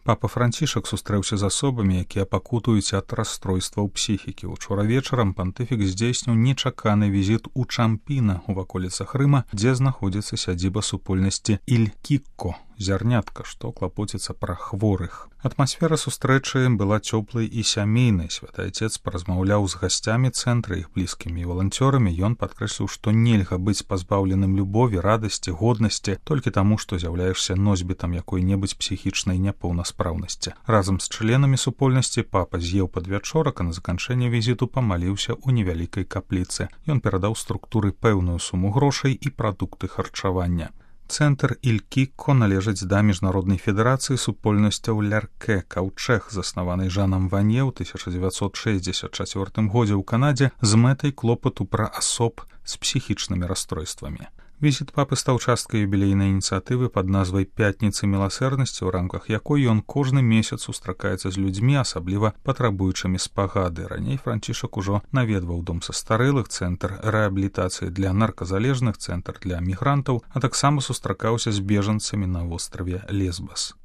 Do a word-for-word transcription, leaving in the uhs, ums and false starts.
Папа Францішак сустрэўся з асобамі, якія пакутуюць ад расстройстваў псіхікі. Учора вечарам пантыфік здзейсніў нечаканы візіт у Чампіна ў ваколіцах Рыма, дзе знаходзіцца сядзіба супольнасці Иль-Кікко, зярнятка, што клапоціцца пра хворых. Атмасфера сустрэчы была цёплай і сямейнай. Святы Айцец паразмаўляў з гасцямі цэнтра, іх блізкімі і валанцёрамі. Ён падкрэсліў, што нельга быць пазбаўленым любові, радасці, годнасці толькі таму, што з'яўляешся носьбітам якой-небудзь псіхічнай няпоўнаспраўнасці. Разам з членамі супольнасці папа з'еў падвячорак, а на заканчэнне візіту памаліўся ў невялікай капліцы. Ён перадаў структуры пэўную суму грошай і прадукты харчавання. Цэнтр Иль-Кікко належыць да міжнароднай федэрацыі супольнасцяў Ляркэ, Каўчэг, заснаванай Жанам Ване ў тысяча дзевяцьсот шэсцьдзесят чацвёртым годзе ў Канадзе з мэтай клопату пра асоб з псіхічнымі расстройствамі. Візіт папы стаў часткай юбілейнай ініцыятывы пад назвай «Пятніцы міласэрнасці», у рамках якой ён кожны месяц сустракаецца з людзьмі, асабліва патрабуючымі спагады. Раней Францішак ужо наведваў дом састарэлых, цэнтр рэабілітацыі для нарказалежных, цэнтр для мігрантаў, а таксама сустракаўся з бежанцамі на востраве Лесбас.